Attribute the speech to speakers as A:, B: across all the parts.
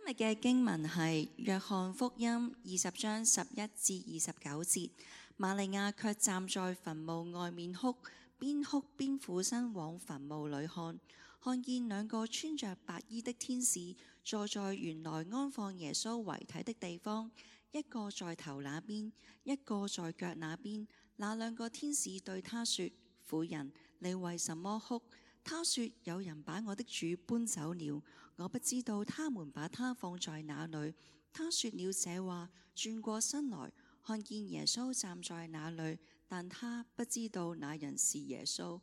A: 今日嘅經文係約翰福音20章11至29節。瑪利亞卻站在墳墓外面哭邊俯身往墳墓裏看見兩個穿着白衣的天使坐在原來安放耶穌遺體的地方，一個在頭那邊，一個在腳那邊。那兩個天使對他說：婦人，你為什麼哭？他說：有人把我的主搬走了，我不知道他們把他放在哪裏。他說了這話，轉過身來，看見耶穌站在那裏，但他不知道那人是耶穌。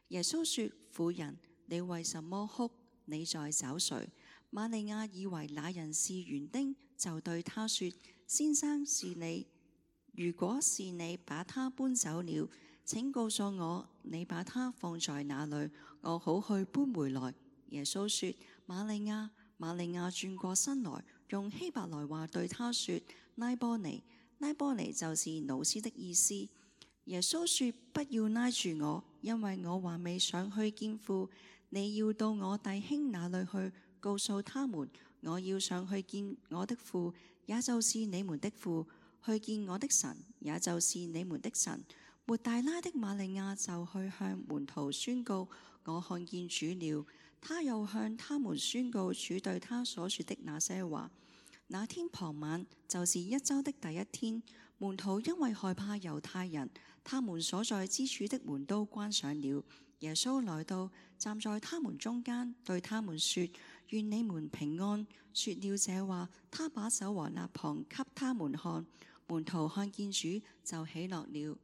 A: 耶穌說：婦人，你為什麼哭？你在找誰？瑪利亞以為那人是園丁，就對他說：先生，是你。如果是你把他搬走了，請告訴我你把他放在哪裏，我好去搬回來。耶穌說：瑪利亞。瑪利亞轉過身來，用希伯來話對他說：拉波尼。拉波尼就是老師的意思。耶穌說：不要拉住我，因為我還未上去見父。你要到我弟兄那裏去，告訴他們，我要上去見我的父，也就是你們的父；去見我的神，也就是你們的神。抹大拉的瑪利亞就去向門徒宣告：我看見主了。他又向他們宣告主對他所說的那些話。那天傍晚，就是1週的第一天，門徒因為害怕猶太人，他們所在之處的門都關上了。耶穌來到，站在他們中間，對他們說：願你們平安。說了這話，他把手和肋旁給他們看。門徒看見主，就喜樂了。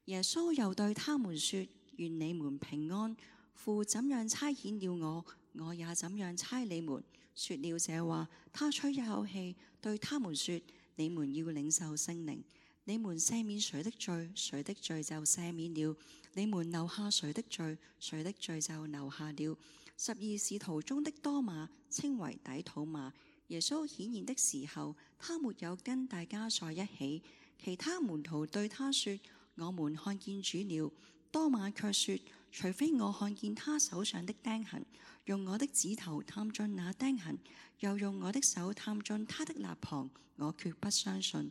A: 耶穌又對他們說：願你們平安。父怎樣差遣了我，我也怎樣差你們。說了這話，他吹一口氣，對他們說：你們要領受聖靈。你們赦免誰的罪，誰的罪就赦免了；你們留下誰的罪，誰的罪就留下了。12使徒中的多馬，稱為底土馬。耶穌顯現的時候，他沒有跟大家在一起。其他門徒對他說：我們看見主了。多馬卻說：除非我看見他手上的釘痕，用我的指頭探進那釘痕，又用我的手探進他的肋旁，我決不相信。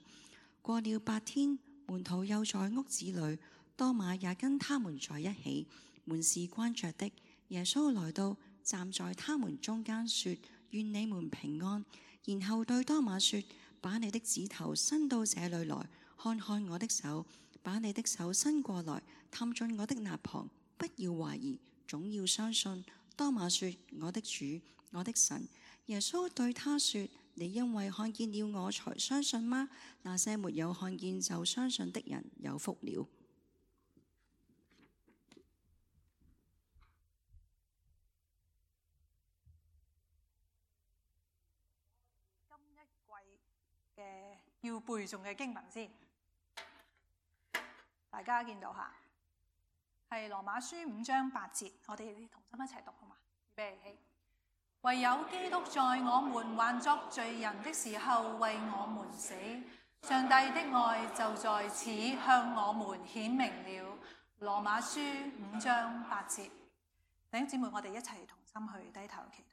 A: 過了8天，門徒又在屋子裏，多馬也跟他們在一起。門是關着的。耶穌來到，站在他們中間，說：願你們平安。然後對多馬說：把你的指頭伸到這裏來，看看我的手；把你的手伸過來，探進我的肋旁。不要懷疑，總要相信。多馬說：我的主，我的神。耶穌對他說：你因為看見了我才相信嗎？那些沒有看見就相信的人有福了。
B: 今一季嘅要背誦嘅經文先，大家見到下，係羅馬書5章8節，我哋同心一齊讀好嘛？預備起。唯有基督在我們還作罪人的時候為我們死，上帝的愛就在此向我們顯明了。羅馬書5章8節，弟兄姊妹，我哋一齊同心去低頭祈禱。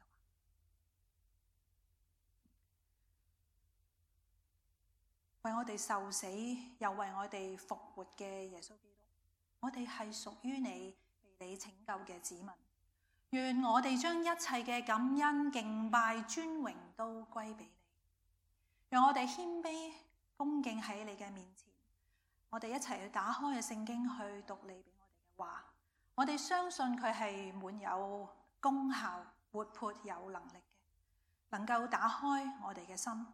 B: 為我哋受死又為我哋復活嘅耶穌基督，我哋係屬於你、被你拯救嘅子民。願我哋將一切嘅感恩、敬拜、尊榮都歸俾你。讓我哋謙卑恭敬喺你嘅面前，我哋一齊去打開嘅聖經去讀你俾我哋嘅話。我哋相信佢係滿有功效、活潑有能力嘅，能夠打開我哋嘅心。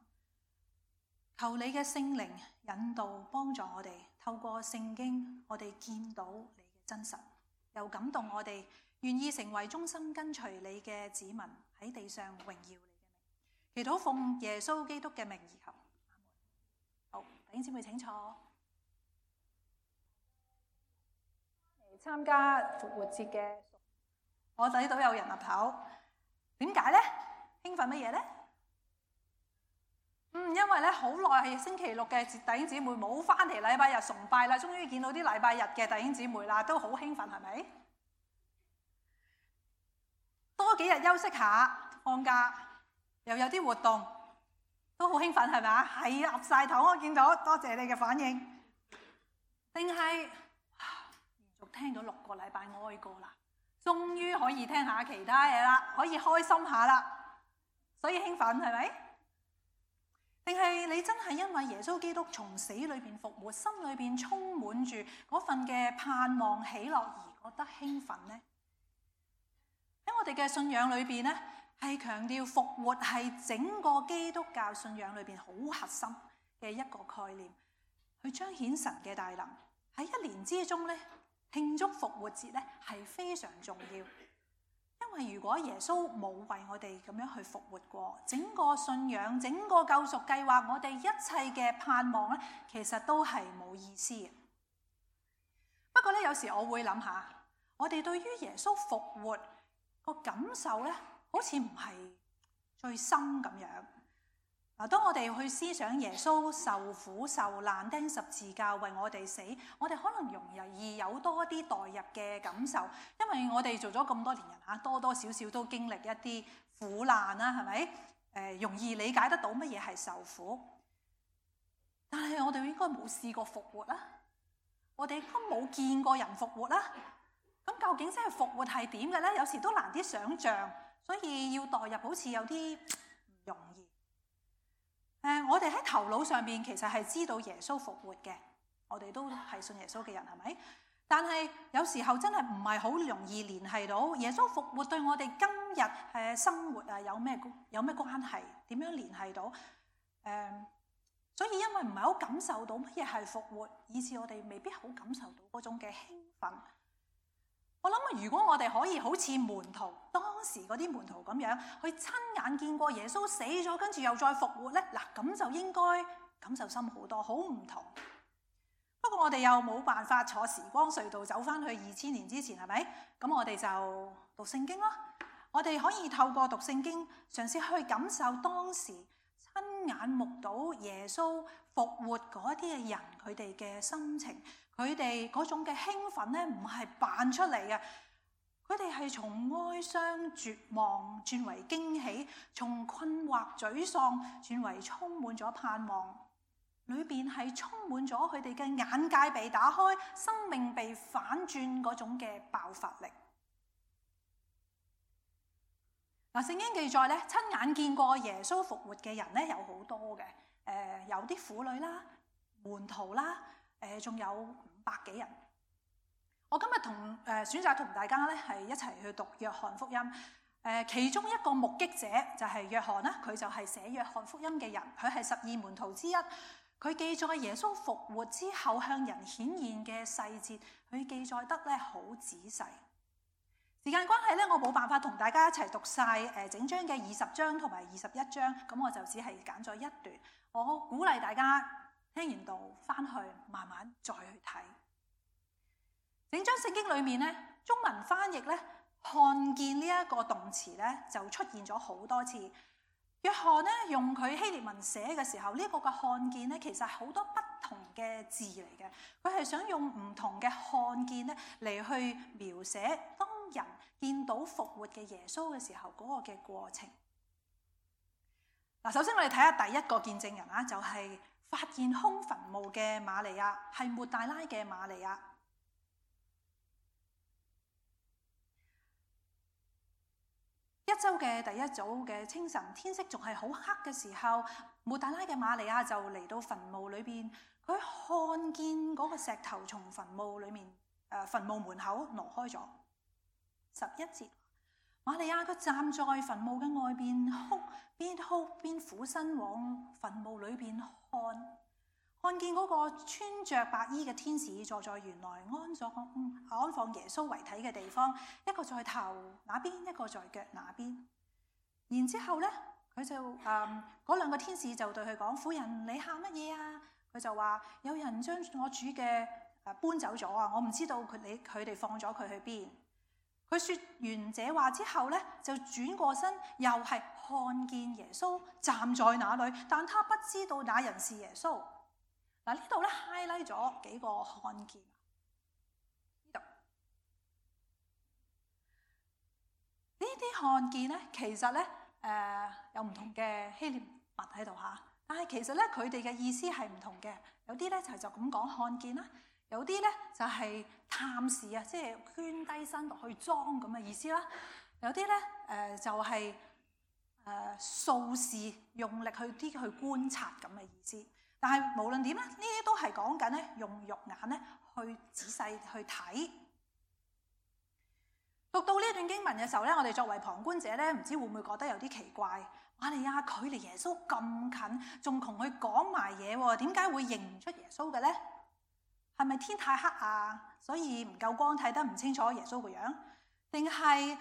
B: 求你嘅聖靈引導幫助我哋，透過聖經我哋見到你嘅真實，又感動我哋願意成為忠心跟隨你嘅子民，喺地上榮耀你嘅名。祈禱奉耶穌基督嘅名而求。好，弟兄姊妹請坐。嚟參加復活節嘅，我睇到有人岌頭，點解呢？興奮乜嘢呢？因為咧好耐係星期六嘅弟兄姊妹冇翻嚟禮拜日崇拜啦，終於見到啲禮拜日嘅弟兄姊妹啦，都好興奮，係咪？多幾日休息下，放假又有啲活動，都好興奮係咪啊？係岌晒頭，我見到，多謝你嘅反應。定係連續聽咗6個禮拜哀歌啦，終於可以聽下其他嘢啦，可以開心下啦，所以興奮係咪？定係你真係因為耶穌基督從死裏邊復活，心裏邊充滿住嗰份嘅盼望喜樂而覺得興奮呢？喺我哋嘅信仰裏邊呢，係強調復活係整個基督教信仰裏邊好核心嘅一個概念，去彰顯神嘅大能。喺一年之中呢，慶祝復活節呢係非常重要，因為如果耶穌冇為我哋咁樣去復活過，整個信仰、整個救贖計劃，我哋一切嘅盼望呢，其實都係冇意思嘅。不過呢，有時我會諗下，我哋對於耶穌復活個感受呢，好似唔係最深咁樣。嗱，當我哋去思想耶穌受苦受難、釘十字架為我哋死，我哋可能容易有多啲代入嘅感受，因為我哋做咗咁多年人嚇，多多少少都經歷一啲苦難啦，係咪？容易理解得到乜嘢係受苦。但係我哋應該冇試過復活啦，我哋應該冇見過人復活啦。咁究竟真係復活係點嘅咧？有時都難啲想像，所以要代入好似有啲唔容易。我哋喺頭腦上邊其實係知道耶穌復活嘅，我哋都係信耶穌嘅人，係咪？但係有時候真係唔係好容易聯繫到耶穌復活對我哋今日生活啊有咩關係？點樣聯繫到？所以因為唔係好感受到乜嘢係復活，以致我哋未必好感受到嗰種嘅興奮。我諗如果我哋可以好似門徒當時嗰啲門徒咁樣去親眼見過耶穌死咗，跟住又再復活呢，嗱咁就應該感受深好多，好唔同。不過我哋又冇辦法坐時光隧道走翻去2000年之前，係咪？咁我哋就讀聖經咯。我哋可以透過讀聖經嘗試去感受當時親眼目睹耶穌復活嗰啲嘅人佢哋嘅心情。佢哋嗰種嘅興奮咧，唔係扮出嚟嘅，佢哋係從哀傷絕望轉為驚喜，從困惑沮喪轉為充滿咗盼望，裏邊係充滿咗佢哋嘅眼界被打開，生命被反轉嗰種嘅爆發力。嗱，聖經記載咧，親眼見過耶穌復活嘅人咧有好多嘅，有啲婦女啦、門徒啦。仲有500幾人。我今日選擇同大家咧係一齊去讀約翰福音。其中一個目擊者就係約翰啦，佢就係寫約翰福音嘅人，佢係12門徒之一。佢記載耶穌復活之後向人顯現嘅細節，佢記載得咧好仔細。時間關係咧，我冇辦法同大家一齊讀晒整章嘅20章同埋21章，咁我就只係揀咗一段。我鼓勵大家聽完道翻去慢慢再去睇整章聖經裏面咧，中文翻譯咧看見呢一個動詞咧就出現咗好多次。約翰咧用佢希臘文寫嘅時候，呢個嘅看見咧其實係好多不同嘅字嚟嘅，佢係想用唔同嘅看見咧嚟去描寫當人見到復活嘅耶穌嘅時候嗰個嘅過程。嗱，首先我哋睇下第一個見證人啊，就係發現空墳墓嘅瑪利亞，係抹大拉嘅瑪利亞。一周嘅第一早嘅清晨，天色仲係好黑嘅時候，抹大拉嘅瑪利亞就嚟到墳墓裏邊，佢看見嗰個石頭從墳墓裏面墳墓門口挪開咗。11節，瑪利亞佢站在墳墓嘅外邊哭，邊哭邊俯身往墳墓裏邊看見嗰個穿着白衣嘅天使坐在原來安放耶穌遺體嘅地方，一個在頭那邊，一個在腳那邊。然之後咧，佢就嗰2個天使就對佢講：婦人，你喊乜嘢啊？佢就話：有人將我主嘅搬走咗啊！我唔知道佢哋放咗佢去邊。佢說完這話之後咧，就轉過身，又係看見耶穌站在那裏，但他不知道那人是耶穌。嗱，呢度咧 highlight 咗幾個看見。呢啲看見咧，其實咧有唔同嘅希臘物喺度嚇。但係其實咧，佢哋嘅意思係唔同嘅。有啲咧就咁講看見啦，有啲咧就係探視啊，即係捐低身落去裝咁嘅意思啦。有啲咧就係掃視，用力去觀察咁嘅意思。但係無論點咧，呢啲都係講緊咧用肉眼咧去仔細去睇。讀到呢段經文嘅時候咧，我哋作為旁觀者咧，唔知會唔會覺得有啲奇怪？瑪利亞距離耶穌咁近，仲同佢講埋嘢喎，點解會認唔出耶穌嘅咧？係咪天太黑啊，所以唔夠光睇得唔清楚耶穌個樣？定係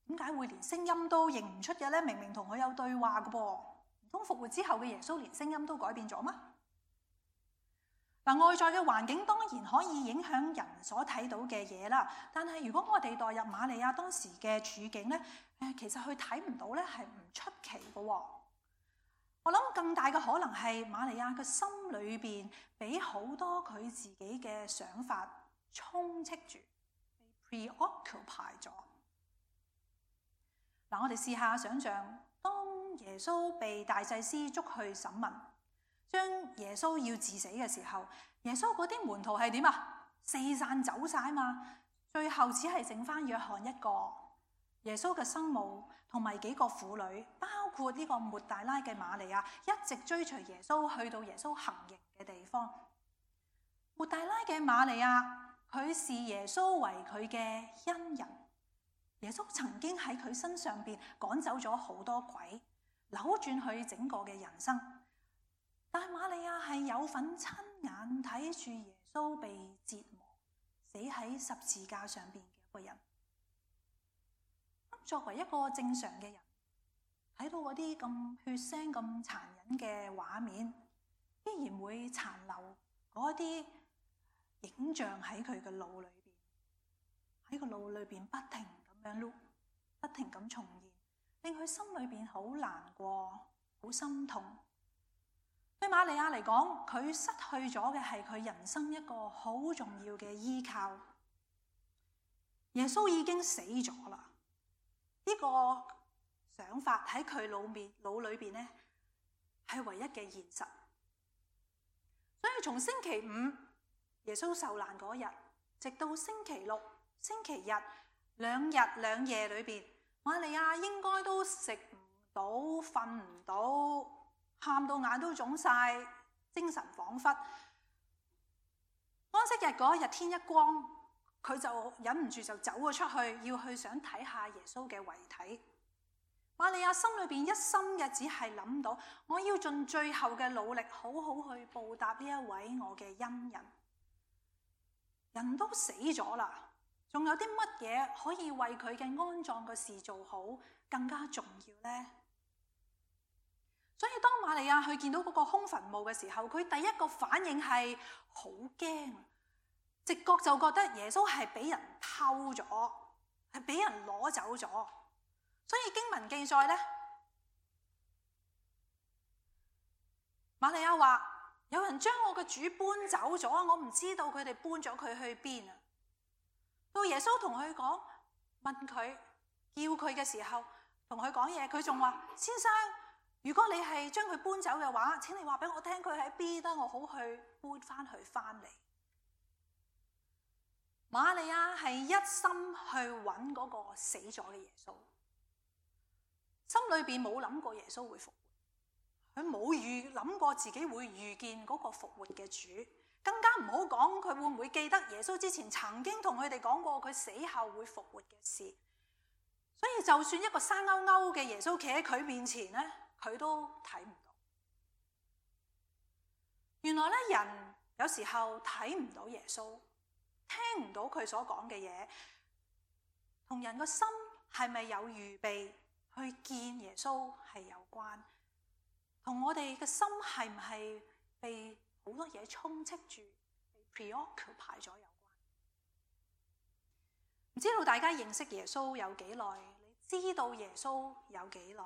B: 點解會連聲音都認唔出嘅咧？明明同佢有對話嘅噃，唔通復活之後嘅耶穌連聲音都改變咗嗎？嗱，外在嘅環境當然可以影響人所睇到嘅嘢啦，但係如果我哋代入瑪利亞當時嘅處境咧，其實佢睇唔到咧係唔出奇嘅喎。我諗更大嘅可能係瑪利亞嘅心裏邊俾好多佢自己嘅想法充斥住，被 preoccupy 咗。嗱，我哋試下想像，當耶穌被大祭司捉去審問，將耶穌要治死嘅時候，耶穌嗰啲門徒係點啊？四散走晒嘛，最後只係剩翻約翰一個。耶穌嘅生母同埋幾個婦女，包括呢個抹大拉嘅瑪利亞，一直追隨耶穌去到耶穌行刑嘅地方。抹大拉嘅瑪利亞，佢視耶穌為佢嘅恩人。耶穌曾經喺佢身上邊趕走咗好多鬼，扭轉佢整個嘅人生。但瑪利亞係有份親眼睇住耶穌被折磨，死喺十字架上邊嘅一個人。作為一個正常嘅人，睇到嗰啲咁血腥、咁殘忍嘅畫面，依然會殘留嗰啲影像喺佢嘅腦裏邊，喺個腦裏邊不停咁樣 loop，不停咁重現，令佢心裏邊好難過、好心痛。對瑪利亞嚟講，佢失去咗嘅係佢人生一個好重要嘅依靠。耶穌已經死咗啦，呢個想法喺佢腦裏邊咧係唯一嘅現實。所以從星期五耶穌受難嗰日，直到星期六、星期日2日2夜裏邊，瑪利亞應該都食唔到、瞓唔到，喊到眼都腫晒，精神恍惚。安息日嗰日天一光，佢就忍唔住就走咗出去，要去想睇下耶穌嘅遺體。瑪利亞心裏邊一心嘅只係諗到，我要盡最後嘅努力，好好去報答呢一位我嘅恩人。人都死咗啦，仲有啲乜嘢可以為佢嘅安葬嘅事做好更加重要呢？所以當瑪利亞去見到嗰個空墳墓嘅時候，佢第一個反應係好驚，直覺就覺得耶穌係俾人偷咗，係俾人攞走咗。所以經文記載呢，瑪利亞話有人將我嘅主搬走咗，我唔知道佢哋搬咗佢去邊啊。到耶穌同佢講，問佢叫佢嘅時候，同佢講嘢，佢仲話：先生，如果你係將佢搬走嘅話，請你話俾我聽佢喺邊，得我好去搬翻佢翻嚟。瑪利亞係一心去揾嗰個死咗嘅耶穌，心裏邊冇諗過耶穌會復活，佢冇諗過自己會遇見嗰個復活嘅主，更加唔好講佢會唔會記得耶穌之前曾經同佢哋講過佢死後會復活嘅事。所以就算一個生勾勾嘅耶穌企喺佢面前咧，佢都睇唔到。原來咧，人有時候睇唔到耶穌，聽唔到佢所講嘅嘢，同人個心係咪有預備去見耶穌係有關，同我哋嘅心係唔係被好多嘢充斥住，被 preoccupy 咗有關。唔知道大家認識耶穌有幾耐？你知道耶穌有幾耐？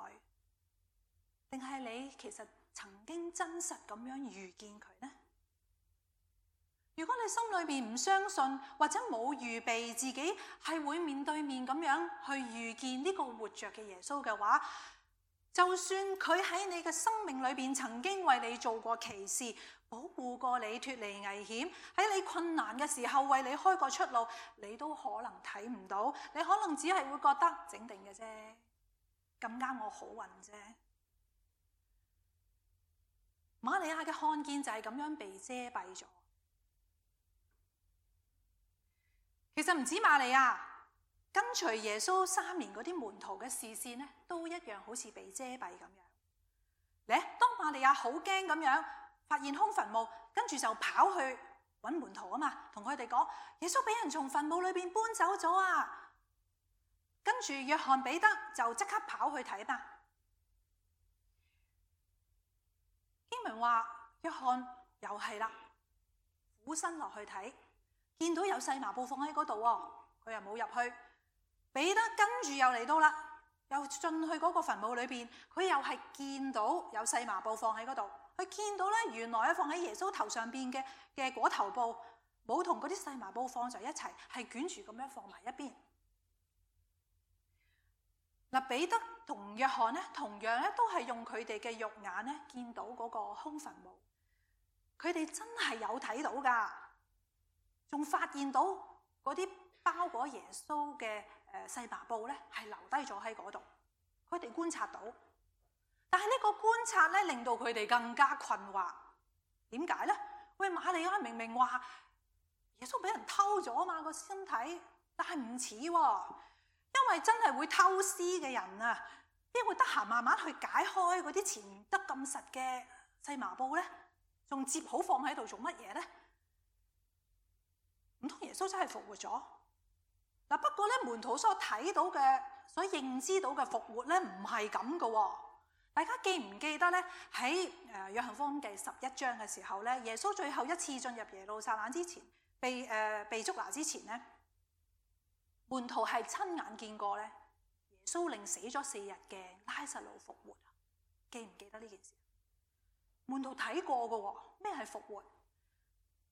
B: 定係你其實曾經真實咁樣遇見佢呢？如果你心裏邊唔相信，或者冇預備自己係會面對面咁樣去遇見呢個活着嘅耶穌嘅話，就算佢喺你嘅生命裏邊曾經為你做過奇事，保護過你脫離危險，喺你困難嘅時候為你開個出路，你都可能睇唔到，你可能只係會覺得整定嘅啫，咁啱我好運啫。瑪利亞嘅看見就係咁樣被遮蔽咗。其實唔止瑪利亞，跟隨耶穌3年嗰啲門徒嘅視線咧，都一樣好似被遮蔽咁樣。咧，當瑪利亞好驚咁樣發現空墳墓，跟住就跑去揾門徒啊嘛，同佢哋講耶穌俾人從墳墓裏邊搬走咗啊！跟住約翰彼得就即刻跑去睇嘛。經文話約翰又係啦，俯身落去睇，見到有細麻布放喺嗰度喎，佢又冇入去。彼得跟住又嚟到啦，又進去嗰個墳墓裏邊，佢又係見到有細麻布放喺嗰度。佢見到咧，原來放喺耶穌頭上邊嘅裹頭布，冇同嗰啲細麻布放在一齊，係捲住咁樣放埋一邊。嗱，彼得同約翰咧，同樣咧都係用佢哋嘅肉眼咧見到嗰個空墳墓，佢哋真係有睇到噶，仲發現到嗰啲包裹耶穌嘅細麻布咧係留低咗喺嗰度，佢哋觀察到。但係呢個觀察咧令到佢哋更加困惑，點解咧？喂，瑪利亞明明話耶穌俾人偷咗啊嘛個身體，但係唔似喎。因為真係會偷屍嘅人啊，邊會得閒慢慢去解開嗰啲纏得咁實嘅細麻布咧？仲摺好放喺度做乜嘢咧？唔通耶穌真係復活咗？嗱，不過咧門徒所睇到嘅、所認知到嘅復活咧，唔係咁嘅喎。大家記唔記得咧？喺約翰福音第11章嘅時候咧，耶穌最後一次進入耶路撒冷之前，被捉拿之前咧，門徒係親眼見過咧，耶穌令死咗4日嘅拉撒路復活。記唔記得呢件事？門徒睇過嘅喎，咩係復活？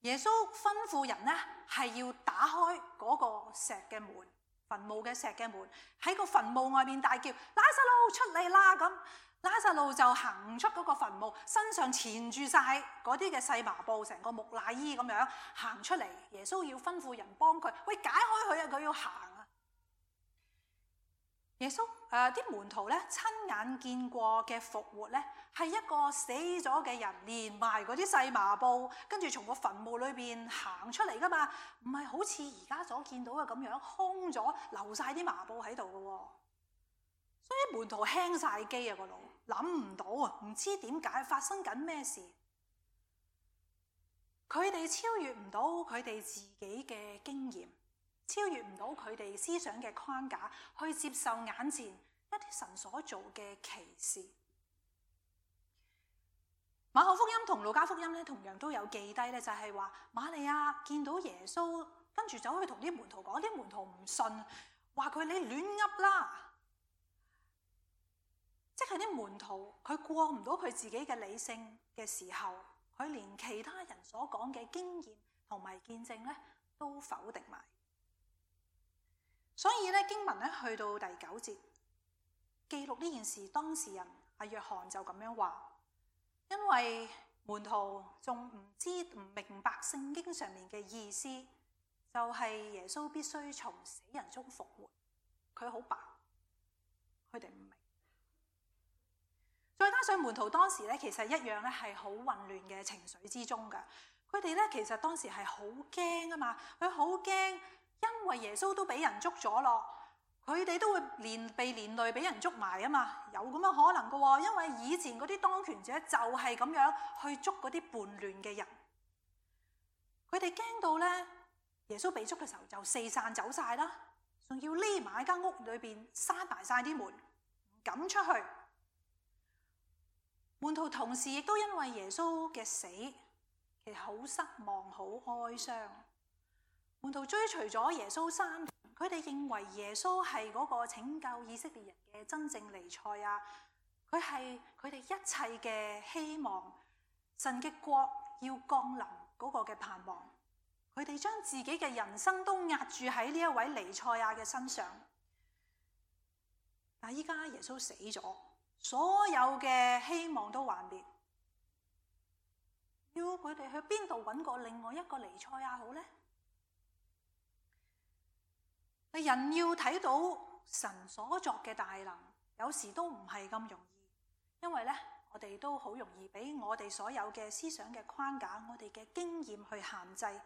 B: 耶穌吩咐人咧係要打開嗰個石嘅門，墳墓嘅石嘅門，喺個墳墓外面大叫拉撒路出嚟啦！咁拉撒路就行出嗰個墳墓，身上纏住晒嗰啲嘅細麻布，成個木乃伊咁樣行出嚟。耶穌要吩咐人幫佢，喂，解開佢啊！佢要行啊！耶穌啲門徒咧親眼見過嘅復活咧，係一個死咗嘅人連埋嗰啲細麻布，跟住從個墳墓裏邊行出嚟噶嘛，唔係好似而家所見到嘅咁樣空咗，留晒啲麻布喺度嘅喎。所以門徒輕晒機啊，個腦諗唔到啊，唔知點解發生緊咩事。佢哋超越唔到佢哋自己嘅經驗，超越唔到佢哋思想嘅框架，去接受眼前一啲神所做嘅奇事。馬可福音同路加福音咧，同樣都有記低咧，就係話瑪利亞見到耶穌，跟住走去同啲門徒講，啲門徒唔信，話佢你亂噏啦。即係啲門徒，佢過唔到佢自己嘅理性嘅時候，佢連其他人所講嘅經驗同埋見證咧，都否定埋。所以咧，經文咧去到第9節，記錄呢件事當事人阿約翰就咁樣話，因為門徒仲唔明白聖經上面嘅意思，就係耶穌必須從死人中復活。佢好白，佢哋唔明。再加上門徒當時咧，其實一樣咧係好混亂嘅情緒之中㗎。佢哋咧其實當時係好驚啊嘛，佢好驚，因為耶穌都俾人捉咗咯，佢哋都會被連累俾人捉埋啊嘛，有咁嘅可能㗎喎。因為以前嗰啲當權者就係咁樣去捉嗰啲叛亂嘅人，佢哋驚到咧，耶穌被捉嘅時候就四散走晒啦，仲要匿埋喺間屋裏邊，閂埋晒啲門，唔敢出去。門徒同時亦都因為耶穌嘅死，其實好失望、好哀傷。門徒追隨咗耶穌3年，佢哋認為耶穌係嗰個拯救以色列人嘅真正彌賽亞，佢係佢哋一切嘅希望，神嘅國要降臨嗰個嘅盼望。佢哋將自己嘅人生都壓住喺呢一位彌賽亞嘅身上。但係依家耶穌死咗，所有嘅希望都幻滅，要佢哋去邊度揾個另外一個彌賽亞好呢？人要睇到神所作嘅大能，有時都唔係咁容易，因為呢，我哋都好容易俾我哋所有嘅思想嘅框架，我哋嘅經驗去限制。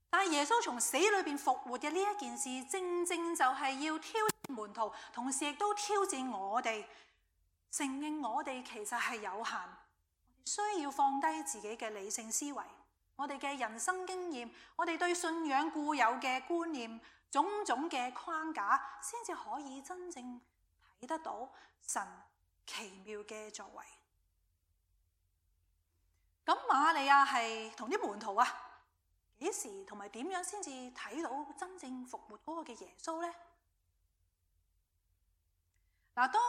B: 但係耶穌從死裏邊復活嘅呢一件事，正正就係要挑戰門徒，同時亦都挑戰我哋，承認我哋其實係有限，需要放低自己嘅理性思維，我哋嘅人生經驗，我哋對信仰固有嘅觀念，種種嘅框架，先至可以真正睇得到神奇妙嘅作為。咁瑪利亞係同啲門徒啊，幾時同埋點樣先至睇到真正復活嗰個嘅耶穌呢？嗱，當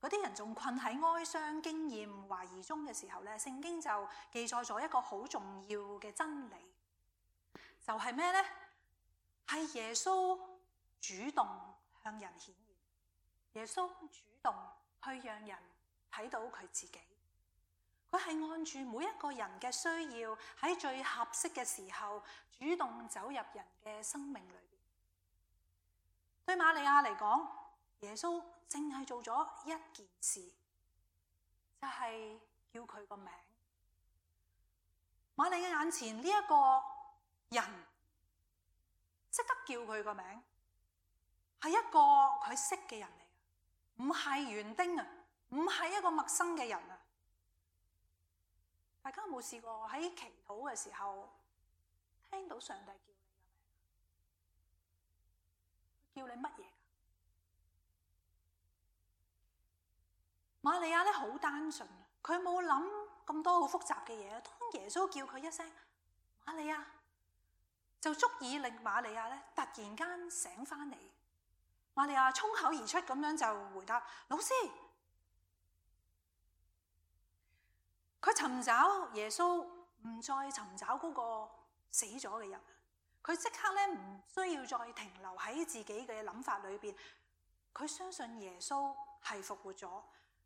B: 嗰啲人仲困喺哀傷、經驗、懷疑中嘅時候咧，聖經就記載咗一個好重要嘅真理，就係咩呢？係耶穌主動向人顯現，耶穌主動去讓人睇到佢自己。佢係按住每一個人嘅需要，喺最合適嘅時候，主動走入人嘅生命裏邊。對瑪利亞嚟講，耶穌淨係做咗一件事，就係叫佢個名。瑪利亞眼前呢一個人識得叫佢個名，係一個佢識嘅人嚟，唔係園丁啊，唔係一個陌生嘅人啊。大家有冇試過喺祈禱嘅時候聽到上帝叫你嘅名？叫你乜嘢？瑪利亞咧好單純，佢冇諗咁多好複雜嘅嘢。當耶穌叫佢一聲瑪利亞，就足以令瑪利亞咧突然間醒翻嚟。瑪利亞衝口而出咁樣就回答：老師。佢尋找耶穌，唔再尋找嗰個死咗嘅人。佢即刻咧唔需要再停留喺自己嘅諗法裏邊。佢相信耶穌係復活咗，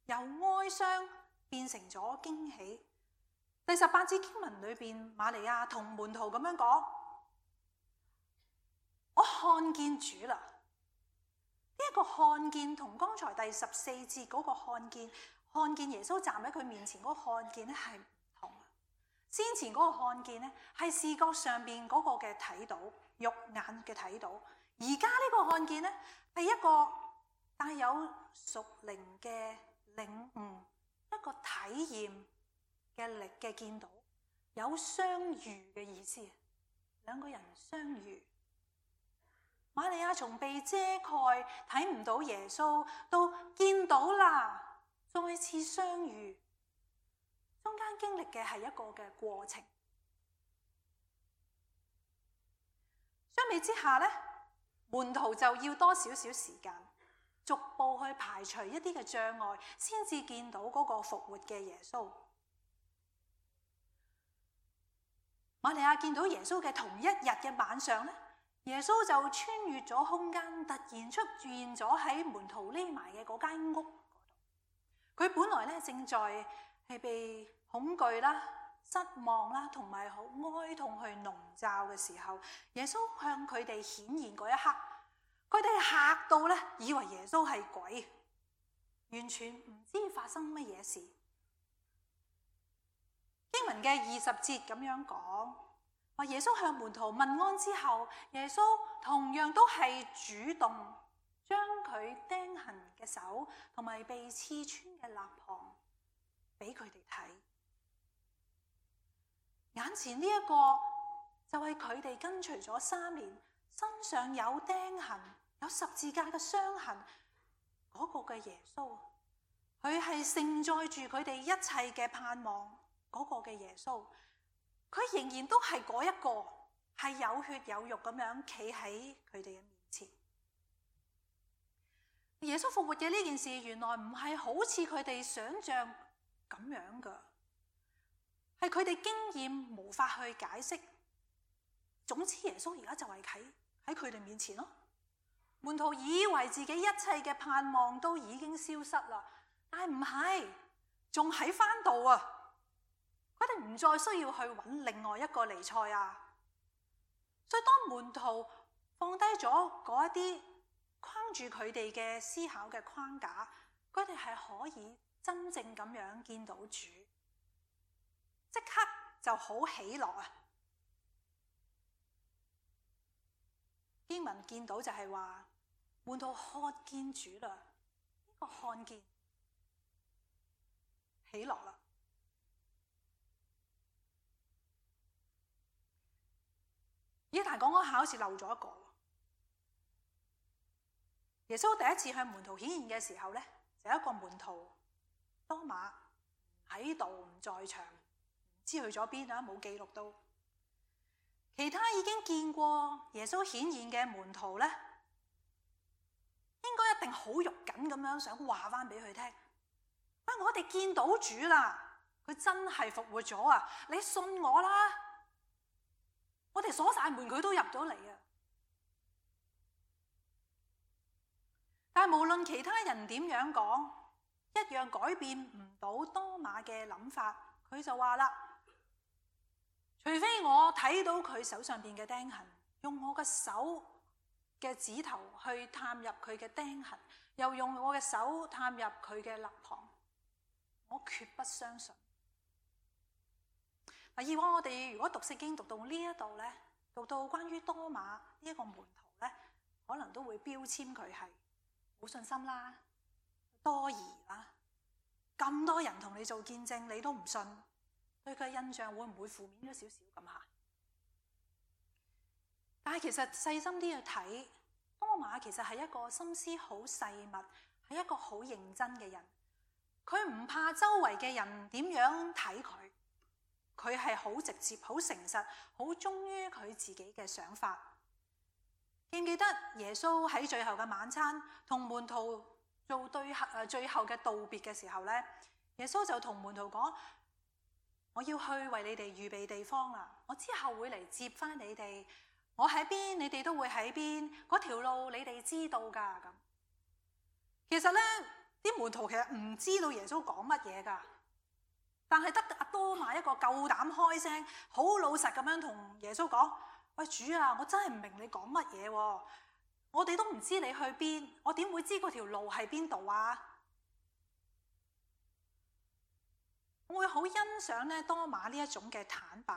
B: 由哀傷變成咗驚喜。第18節經文裏邊，瑪利亞同門徒咁樣講：我看見主啦。呢一個看見同剛才第14節嗰個看見耶穌站喺佢面前嗰個看見咧係唔同。先前嗰個看見咧係視覺上邊嗰個嘅睇到，肉眼嘅睇到。而家呢個看見咧係一個帶有屬靈嘅領悟，一個體驗嘅力嘅見到，有相遇嘅意思。兩個人相遇。瑪利亞從被遮蓋睇唔到耶穌，到見到啦。再次相遇，中間經歷嘅係一個嘅過程。相比之下咧，門徒就要多少少時間，逐步去排除一啲嘅障礙，先至見到嗰個復活嘅耶穌。瑪利亞見到耶穌嘅同一日嘅晚上咧，耶穌就穿越咗空間，突然出現咗喺門徒匿埋嘅嗰間屋。佢本來咧正在係被恐懼啦、失望啦同埋好哀痛去籠罩嘅時候，耶穌向佢哋顯現嗰一刻，佢哋嚇到咧，以為耶穌係鬼，完全唔知發生乜嘢事。經文嘅20節咁樣講，話耶穌向門徒問安之後，耶穌同樣都係主動將佢釘痕嘅手同埋被刺穿嘅肋旁俾佢哋睇。眼前呢一個就係佢哋跟隨咗3年，身上有釘痕、有十字架嘅傷痕嗰個嘅耶穌。佢係承載住佢哋一切嘅盼望嗰個嘅耶穌。佢仍然都係嗰一個，係有血有肉咁樣企喺佢哋嘅面前。耶穌復活嘅呢件事，原來唔係好似佢哋想象咁樣噶，係佢哋經驗無法去解釋。總之耶穌而家就係喺佢哋面前咯，門徒以為自己一切嘅盼望都已經消失啦，但係唔係，仲喺返度啊！佢哋唔再需要去揾另外一個彌賽亞。所以當門徒放低咗嗰一啲框住佢哋嘅思考嘅框架，佢哋係可以真正咁樣見到主，即刻就好喜樂啊！經文見到就係話，門徒看見主啦，呢個看見喜樂啦。咦，但係講講下好似漏咗一個。耶穌第一次向門徒顯現嘅時候咧，就有一個門徒多馬喺度唔在場，唔知去咗邊啊，冇記錄到。其他已經見過耶穌顯現嘅門徒咧，應該一定好肉緊咁樣想話翻俾佢聽。我哋見到主啦，佢真係復活咗啊！你信我啦，我哋鎖晒門，佢都入咗嚟啊！但係無論其他人點樣講，一樣改變唔到多馬嘅諗法。佢就話啦，除非我睇到佢手上邊嘅釘痕，用我嘅手嘅指頭去探入佢嘅釘痕，又用我嘅手探入佢嘅肋旁，我決不相信。以往我哋如果讀聖經讀到呢一度咧，讀到關於多馬呢一個門徒咧，可能都會標籤佢係冇信心啦、多疑啦。咁多人同你做見證，你都唔信，對佢印象會唔會負面咗少少咁吓？但係其實細心啲去睇，多馬其實係一個心思好細密，係一個好認真嘅人。佢唔怕周圍嘅人點樣睇佢，佢係好直接、好誠實、好忠於佢自己嘅想法。記唔記得耶穌喺最後嘅晚餐同門徒做最後嘅道別嘅時候咧，耶穌就同門徒講：我要去為你哋預備地方啦，我之後會嚟接翻你哋，我喺邊，你哋都會喺邊，嗰條路你哋知道噶。咁其實咧，啲門徒其實唔知道耶穌講乜嘢噶，但係得阿多馬一個夠膽開聲，好老實咁樣同耶穌講：喂，主啊，我真係唔明你講乜嘢喎，我哋都唔知你去邊，我點會知嗰條路係邊度啊？我會好欣賞咧多馬呢一種嘅坦白，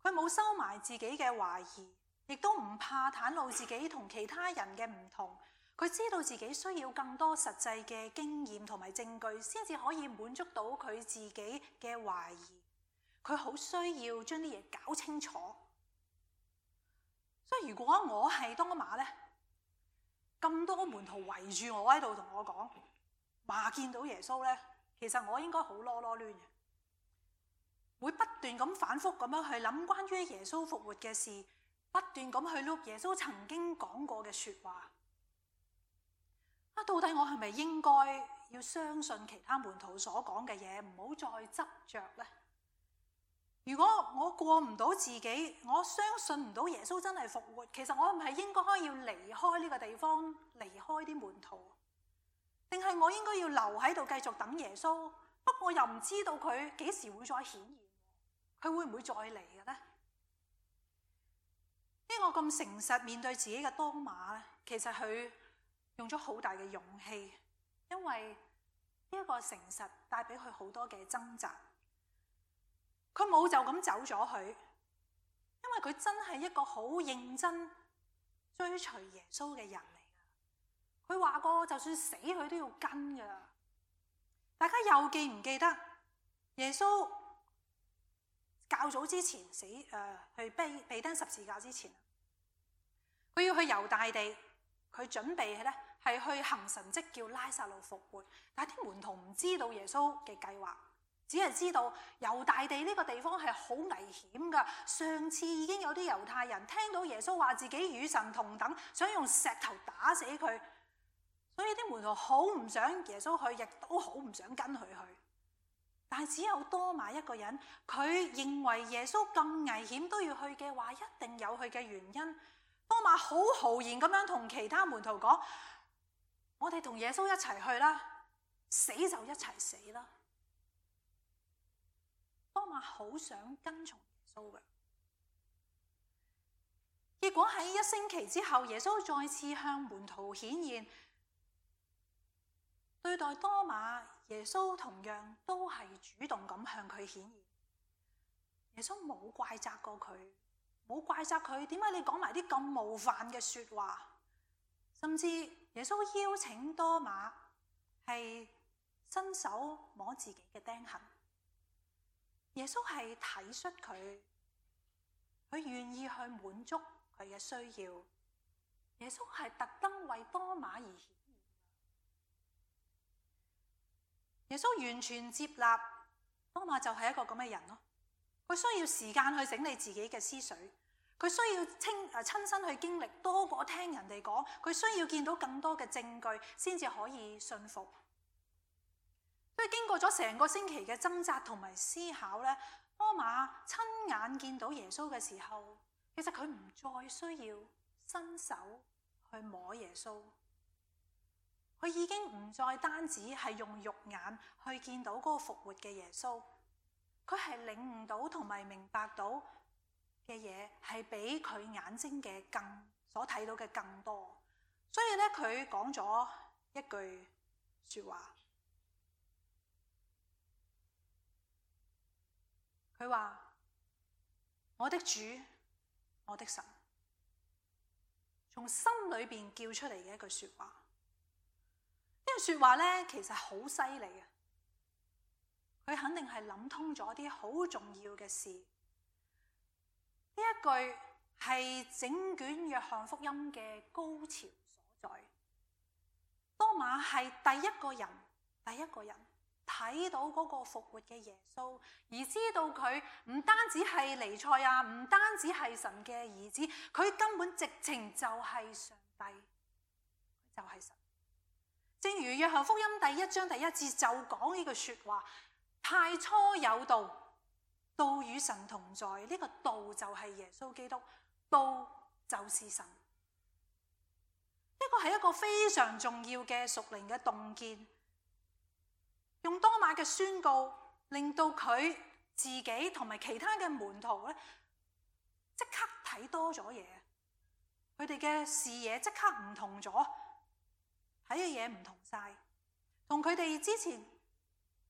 B: 佢冇收埋自己嘅懷疑，亦都唔怕袒露自己同其他人嘅唔同。佢知道自己需要更多實際嘅經驗同埋證據，先至可以滿足到佢自己嘅懷疑。佢好需要將啲嘢搞清楚。所以如果我係多馬咧，咁多門徒圍住我喺度同我講話見到耶穌咧，其實我應該好囉囉攣嘅，會不斷咁反覆咁樣去諗關於耶穌復活嘅事，不斷咁去錄耶穌曾經講過嘅說話。到底我係咪應該要相信其他門徒所講嘅嘢，唔好再執着呢？如果我過唔到自己，我相信唔到耶穌真係復活，其實我係唔係應該要離開呢個地方，離開啲門徒，定係我應該要留喺度繼續等耶穌？不過我又唔知道佢幾時會再顯現，佢會唔會再嚟嘅呢？呢個咁誠實面對自己嘅多馬咧，其實佢用咗好大嘅勇氣，因為呢一個誠實帶俾佢好多嘅掙扎。佢冇就咁走咗去，因為佢真係一個好認真追隨耶穌嘅人嚟噶。佢話過就算死佢都要跟噶。大家又記唔記得耶穌較早之前去被釘十字架之前，佢要去猶大地，佢準備咧係去行神蹟叫拉撒路復活，但係啲門徒唔知道耶穌嘅計劃，只係知道猶大地呢個地方係好危險噶。上次已經有啲猶太人聽到耶穌話自己與神同等，想用石頭打死佢，所以啲門徒好唔想耶穌去，亦都好唔想跟佢去。但係只有多馬一個人，佢認為耶穌咁危險都要去嘅話，一定有佢嘅原因。多馬好豪然咁樣同其他門徒講：我哋同耶穌一齊去啦，死就一齊死啦。多馬好想跟從耶穌嘅，結果喺1星期之後，耶穌再次向門徒顯現，對待多馬，耶穌同樣都係主動咁向佢顯現。耶穌冇怪責過佢，冇怪責佢點解你講埋啲咁冒犯嘅說話，甚至耶穌邀請多馬係伸手摸自己嘅釘痕。耶穌係體恤佢，佢願意去滿足佢嘅需要。耶穌係特登為多馬而顯現。耶穌完全接納多馬就係一個咁嘅人咯。佢需要時間去整理自己嘅思緒，佢需要親身去經歷多過聽人哋講，佢需要見到更多嘅證據先至可以信服。所以經過咗成個星期嘅掙扎同埋思考咧，多馬親眼見到耶穌嘅時候，其實佢唔再需要伸手去摸耶穌，佢已經唔再單止係用肉眼去見到嗰個復活嘅耶穌，佢係領悟到同埋明白到嘅嘢係比佢眼睛嘅所睇到嘅更多。所以咧，佢講咗一句說話，佢話：我的主，我的神，從心裏邊叫出嚟嘅一句說話。呢句說話咧，其實好犀利嘅。佢肯定係諗通咗啲好重要嘅事。呢一句係整卷約翰福音嘅高潮所在。多馬係第一個人睇到嗰個復活嘅耶穌，而知道佢唔單止係彌賽亞，唔單止係神嘅兒子，佢根本直情就係上帝，就係神。正如約翰福音第1章第1節就講呢句說話：太初有道，道與神同在。呢個道就係耶穌基督，道就是神。呢個係一個非常重要嘅屬靈嘅洞見。用多馬嘅宣告，令到佢自己同埋其他嘅門徒咧，即刻睇多咗嘢。佢哋嘅視野即刻唔同咗，睇嘅嘢唔同晒，同佢哋之前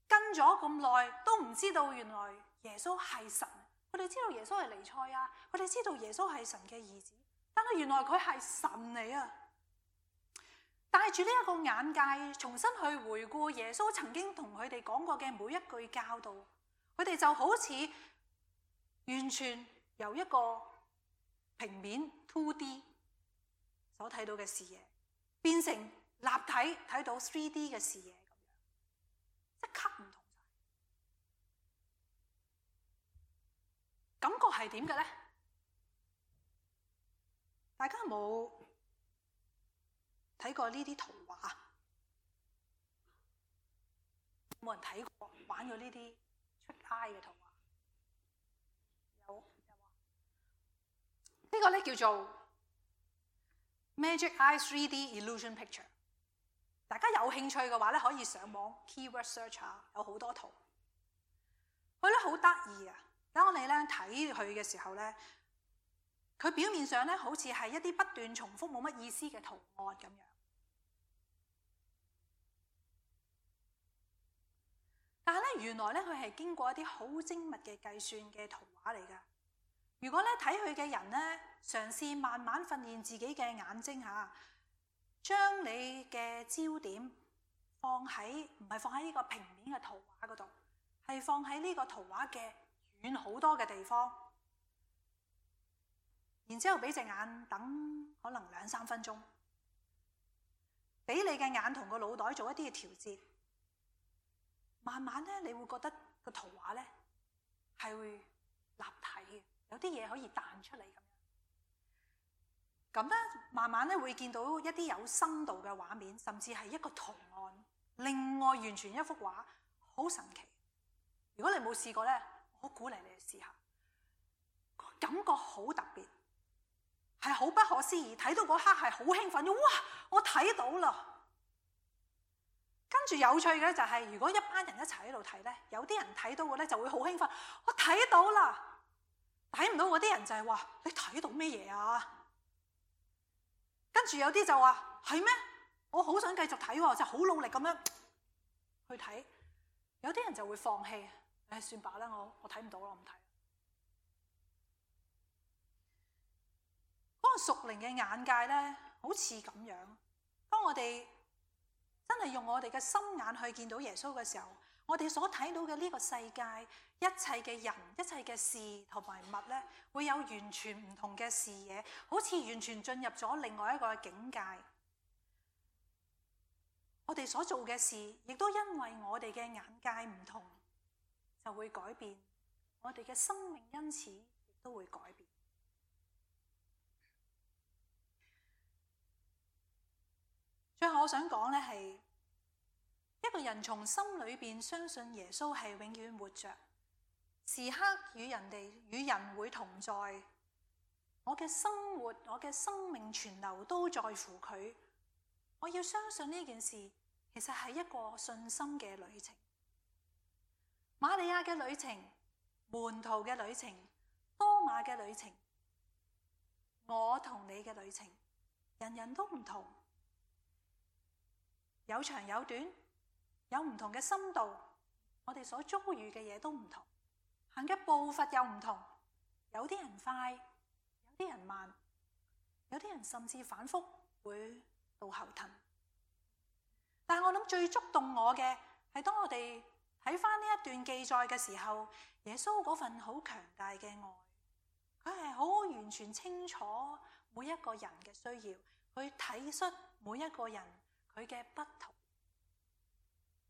B: 跟咗咁耐都唔知道原來耶穌係神。佢哋知道耶穌係彌賽亞，佢哋知道耶穌係神嘅兒子，但係原來佢係神嚟啊！帶住呢一個眼界，重新去回顧耶穌曾經同佢哋講過嘅每一句教導，佢哋就好似完全由一個平面 2D 所睇到嘅視野，變成立體睇到 3D 嘅視野咁樣，即刻唔同晒。感覺係點嘅咧？大家有冇睇過呢啲圖畫？冇人睇過玩過呢啲出 eye 嘅圖畫？有呢個咧叫做 Magic Eye 3D Illusion Picture。大家有興趣嘅話咧，可以上網 keyword search 下，有好多圖。佢咧好得意啊！當你咧睇佢嘅時候咧，佢表面上咧好似係一啲不斷重複冇乜意思嘅圖案咁樣。但係咧，原來咧佢係經過一啲好精密嘅計算嘅圖畫嚟㗎。如果咧睇佢嘅人咧，嘗試慢慢訓練自己嘅眼睛嚇，將你嘅焦點唔係放喺呢個平面嘅圖畫嗰度，係放喺呢個圖畫嘅遠好多嘅地方，然之後俾隻眼等可能2-3分鐘，俾你嘅眼同個腦袋做一啲嘅調節。慢慢咧，你會覺得個圖畫咧係會立體嘅，有啲嘢可以彈出嚟咁樣。咁咧，慢慢咧會見到一啲有深度嘅畫面，甚至係一個圖案，另外完全一幅畫，好神奇。如果你冇試過咧，我鼓勵你去試下，感覺好特別，係好不可思議，睇到嗰刻係好興奮，哇！我睇到啦。跟住有趣嘅就係，如果一班人一齊喺度睇咧，有啲人睇到嘅咧就會好興奮，我睇到啦。睇唔到嗰啲人就係話，你睇到咩嘢啊？跟住有啲就話，係咩？我好想繼續睇喎，就好努力咁樣去睇。有啲人就會放棄，算罷啦，我睇唔到啦，我唔睇。嗰個屬靈嘅眼界咧，好似咁樣。當我哋真係用我哋嘅心眼去見到耶穌嘅時候，我哋所睇到嘅呢個世界，一切嘅人、一切嘅事同埋物咧，會有完全唔同嘅視野，好似完全進入咗另外一個境界。我哋所做嘅事，亦都因為我哋嘅眼界唔同，就會改變。我哋嘅生命因此亦都會改變。最後我想講咧，係一個人從心裏邊相信耶穌係永遠活着，時刻與人會同在。我嘅生活，我嘅生命存留都在乎佢。我要相信呢件事，其實係一個信心嘅旅程。瑪利亞嘅旅程，門徒嘅旅程，多馬嘅旅程，我同你嘅旅程，人人都唔同，有長有短，有唔同嘅深度，我哋所遭遇嘅嘢都唔同，行嘅步伐又唔同，有啲人快，有啲人慢，有啲人甚至反覆會到後騰。但係我諗最觸動我嘅係當我哋睇返呢一段記載嘅時候，耶穌嗰份好強大嘅愛，佢係好完全清楚每一個人嘅需要，去體恤每一個人佢嘅不同。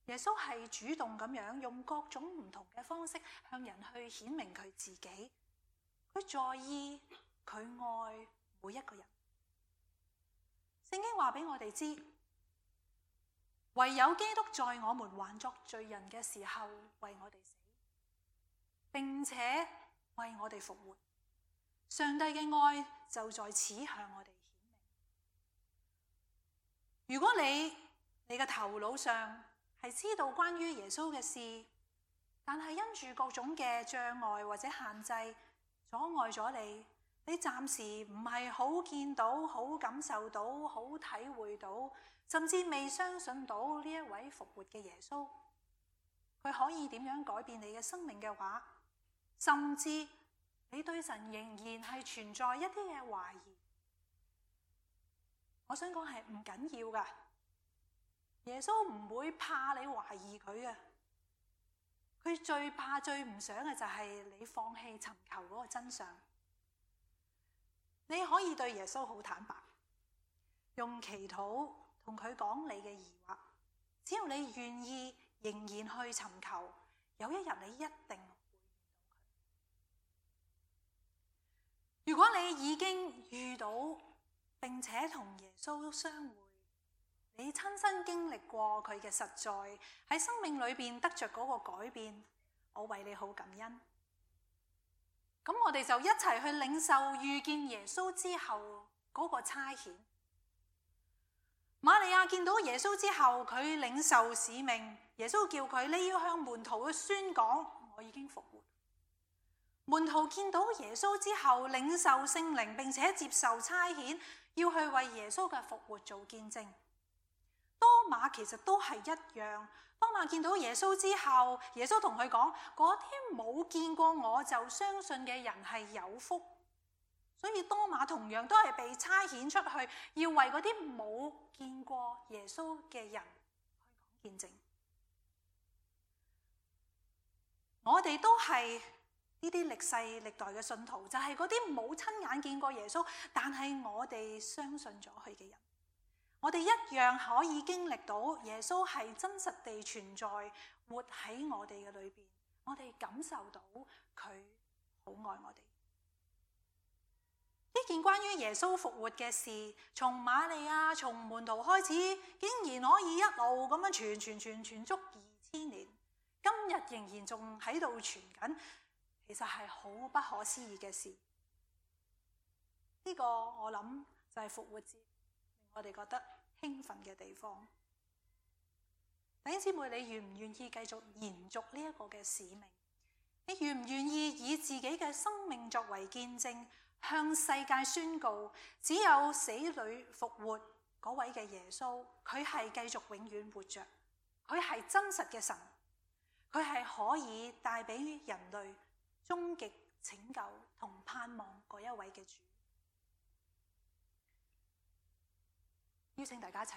B: 耶穌係主動咁樣用各種唔同嘅方式向人去顯明佢自己，佢在意，佢愛每一個人。聖經話俾我哋知，唯有基督在我們還作罪人嘅時候為我哋死，並且為我哋復活。上帝嘅愛就在此向我哋顯明。如果你嘅頭腦上係知道關於耶穌嘅事，但係因住各種嘅障礙或者限制阻礙咗你，你暫時唔係好見到、好感受到、好體會到，甚至未相信到呢一位復活嘅耶穌，佢可以點樣改變你嘅生命嘅話，甚至你對神仍然係存在一啲嘅懷疑，我想講係唔緊要㗎。耶穌唔會怕你懷疑佢嘅，佢最怕最唔想嘅就係你放棄尋求嗰個真相。你可以對耶穌好坦白，用祈禱同佢講你嘅疑惑，只要你願意仍然去尋求，有一日你一定會見到佢。如果你已經遇到並且同耶穌相會，你親身經歷過佢嘅實在，喺生命裏邊得着嗰個改變，我為你好感恩。咁我哋就一齊去領受遇見耶穌之後嗰個差遣。瑪利亞見到耶穌之後，佢領受使命，耶穌叫佢你要向門徒去宣講，我已經復活。門徒見到耶穌之後，領受聖靈，並且接受差遣，要去為耶穌嘅復活做見證。多馬其實都係一樣，多馬見到耶穌之後，耶穌同佢講，嗰啲冇見過我就相信嘅人係有福。所以多馬同樣都係被差遣出去，要為嗰啲冇見過耶穌嘅人去講見證。我哋都係呢啲歷世歷代嘅信徒，就係嗰啲冇親眼見過耶穌，但係我哋相信咗佢嘅人。我哋一樣可以經歷到耶穌係真實地存在，活喺我哋嘅裏邊。我哋感受到佢好愛我哋。呢件關於耶穌復活嘅事，從瑪利亞、從門徒開始，竟然可以一路咁樣傳足2000年，今日仍然仲喺度傳緊，其實係好不可思議嘅事。呢個我諗就係復活節令我哋覺得興奮嘅地方。弟兄姊妹，你願唔願意繼續延續呢一個嘅使命？你願唔願意以自己嘅生命作為見證，向世界宣告，只有死裏復活嗰位嘅耶穌，佢係繼續永遠活着，佢係真實嘅神，佢係可以帶俾人類終極拯救同盼望嗰一位嘅主。邀請大家一齊。